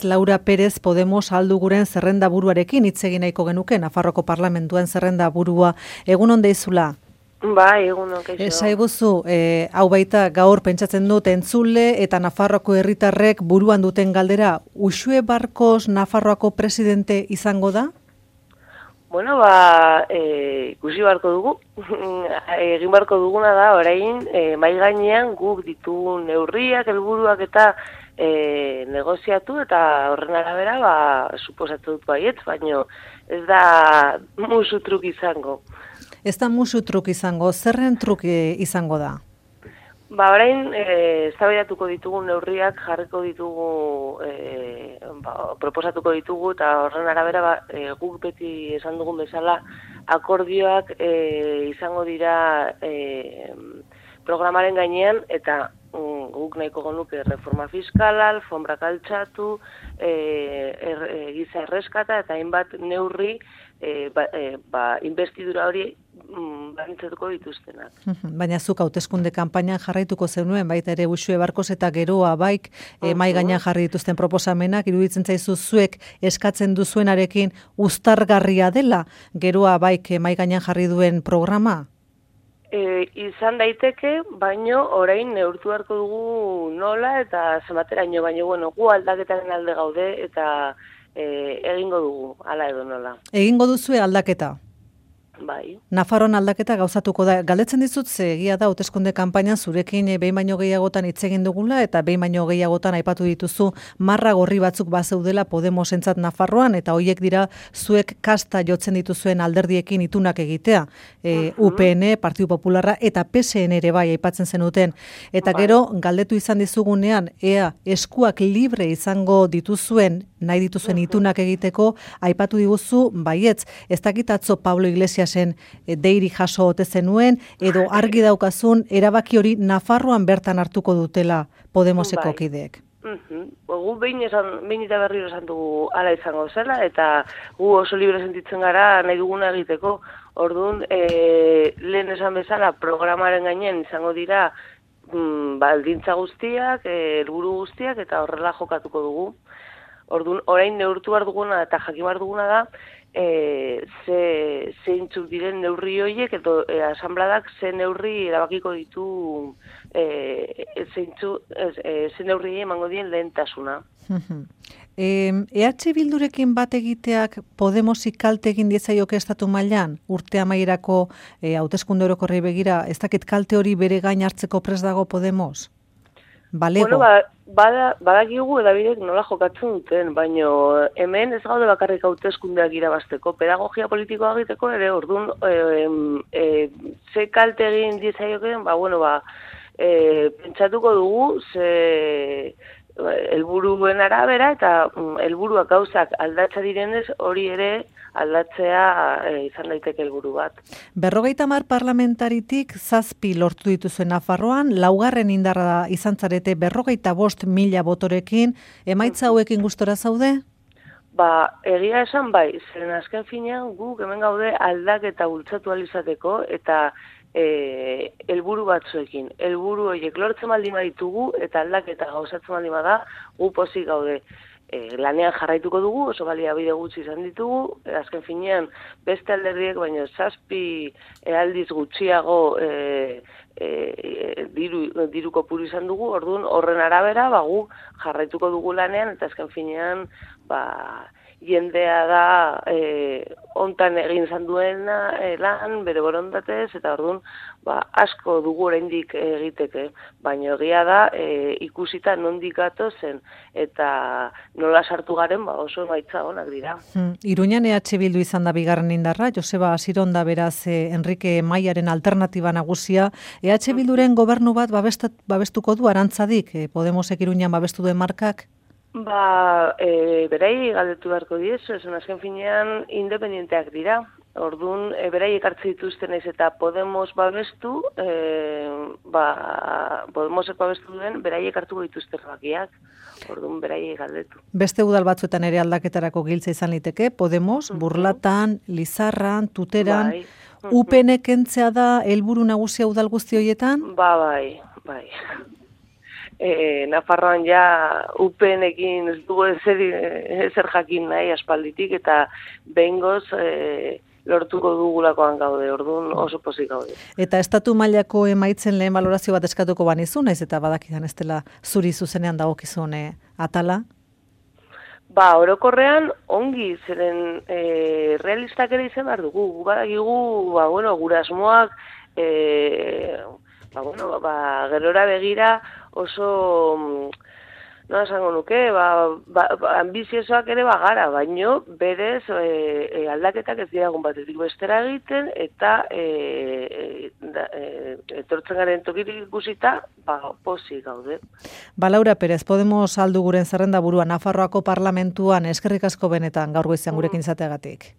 Laura Pérez Podemos alduguren zerrenda buruarekin hitz egin nahiko genuke, Nafarroko Parlamentuan zerrenda burua. Egunon deizula? Bai, egunon, kaixo. Esaiguzu, hau baita gaur pentsatzen dut entzule eta Nafarroako herritarrek buruan duten galdera, Uxue Barkos Nafarroako presidente izango da? Bueno, ikusi barko dugu. Egin barko duguna da, orain, mai gainean guk ditugun neurriak, helburuak eta negoziatu eta horren arabera, suposatu dut baietz, baino ez da musu truk izango. Ez da musu truk izango, zerren truk izango da? Orain, eztabaidatuko ditugu neurriak, jarriko ditugu, proposatuko ditugu, eta horren arabera, guk beti esan dugun bezala, akordioak izango dira programaren gainean, eta guk nahiko genuke reforma fiskala, alfombrak altxatu, giza erreskata, eta hainbat neurri, investidura hori barintzatuko dituztenak. Baina zuk hauteskunde kanpainan jarraituko zenuen, baita ere Uxue Barkos eta Geroa baik mai gainean jarri dituzten proposamenak, iruditzen zaizu zuek eskatzen duzuenarekin uztargarria dela Geroa baik mai gainean jarri duen programa? Izan daiteke, baino orain neurtu beharko dugu nola eta zenbateraino, baino gu aldaketaren alde gaude eta egingo dugu, hala edo nola. Egingo duzue aldaketa? Bai. Nafarroan aldaketa gauzatuko da. Galdetzen dizut, ze egia da hauteskunde kanpainan zurekin behin baino gehiagotan hitz egin dugula eta behin baino gehiagotan aipatu dituzu marra gorri batzuk bazeudela Podemosentzat Nafarroan eta hoiek dira zuek kasta jotzen dituzuen alderdiekin itunak egitea. UPN, Partidu Popularra eta PSN ere bai aipatzen zenuten. Eta gero galdetu izan dizugunean ea eskuak libre izango dituzuen nahi dituzuen itunak egiteko, aipatu diguzu baietz. Ez dakit atzo Pablo Iglesiasen deiri jaso ote zenuen, edo argi daukazun erabaki hori Nafarroan bertan hartuko dutela Podemoseko kideek. Gu behin eta berriro esan dugu ala izango zela, eta gu oso libre sentitzen gara nahi duguna egiteko. Orduan, lehen esan bezala programaren gainean izango dira baldintza guztiak, helburu guztiak, eta horrela jokatuko dugu. Orduan, orain neurtu behar duguna eta jakin behar duguna da, zeintzuk diren neurri horiek, edo asanbladak ze neurri erabakiko ditu, ze neurri emango dien lehentasuna. EH Bildurekin bat egiteak Podemosik kalte egin diezaioke estatu mailan, urte amaierako hauteskunde orokorrei begira, ez dakit kalte hori bere gain hartzeko prest dago Podemos? Balego? Bueno, badakigu edabidek nola jokatzen duten, baino hemen ez gaude bakarrik hauteskundeak irabazteko, pedagogia politikoa egiteko ere, orduan, ze kalte egin diezaiokeen, pentsatuko dugu, ze helburuen arabera, eta helburuak gauzak aldatza direnez, hori ere aldatzea izan daiteke helburu bat. 50 parlamentaritik 7 lortu dituzuen Nafarroan, laugarren indarra izan zarete 55.000 botorekin, emaitza hauekin gustora zaude? Egia esan bai, zeren azken finean guk hemen gaude aldaketa bultzatu alizateko, eta helburu batzuekin. Helburu horiek lortzen baldin baditugu eta aldaketa gauzatzen baldin bada, gu pozik gaude. Lanean jarraituko dugu, oso baliabide gutxi izan ditugu, azken finean beste alderdiek, baina 7 aldiz gutxiago diru kopuru izan dugu, orduan horren arabera, gu jarraituko dugu lanean, eta azken finean, jendea da hontan egin izan duena lan, bere borondatez, eta orduan asko dugu oraindik egiteke, baina egia da ikusita nondik gatozen eta nola sartu garen oso emaitza onak dira. Iruñan EH Bildu izan da bigarren indarra, Joseba Asironda beraz Enrique Maiaren alternatiba nagusia, EH Bilduren gobernu bat babestuko du Arantzadik, Podemosek Iruñan babestu duen markak? Berai galdetu beharko diezu, esan azken finean independenteak dira. Orduan, berai ekartze dituzten ez eta Podemos babestu, Podemosek babestu duen, berai ekartuko dituzte erabakiak. Orduan, berai galdetu. Beste udal batzuetan ere aldaketarako giltza izan liteke, Podemos, Burlatan, Lizarran, Tuteran, UPN kentzea da helburu nagusia udal guzti horietan? Bai. Nafarroan ja UPN-ekin ez dugu ezer jakin nahi aspalditik, eta behingoz lortuko dugulakoan gaude, orduan oso pozik gaude. Eta estatu mailako emaitzen lehen balorazio bat eskatuko banizu, naiz eta badakidan ez dela zuri zuzenean dagokizun atala? Orokorrean ongi, zeren realistak ere izan behar dugu. Badakigu, gure asmoak, gerora begira oso, nola esango nuke, ambiziosoak ere bagara, baino berez aldaketak ez diagun batetik bestera egiten, eta etortzen garen tokirik ikusita, pozik gaude. Laura Perez, Podemos aldu guren zerrenda burua Nafarroako parlamentuan, eskerrik asko benetan gaur goizean gurekin izateagatik.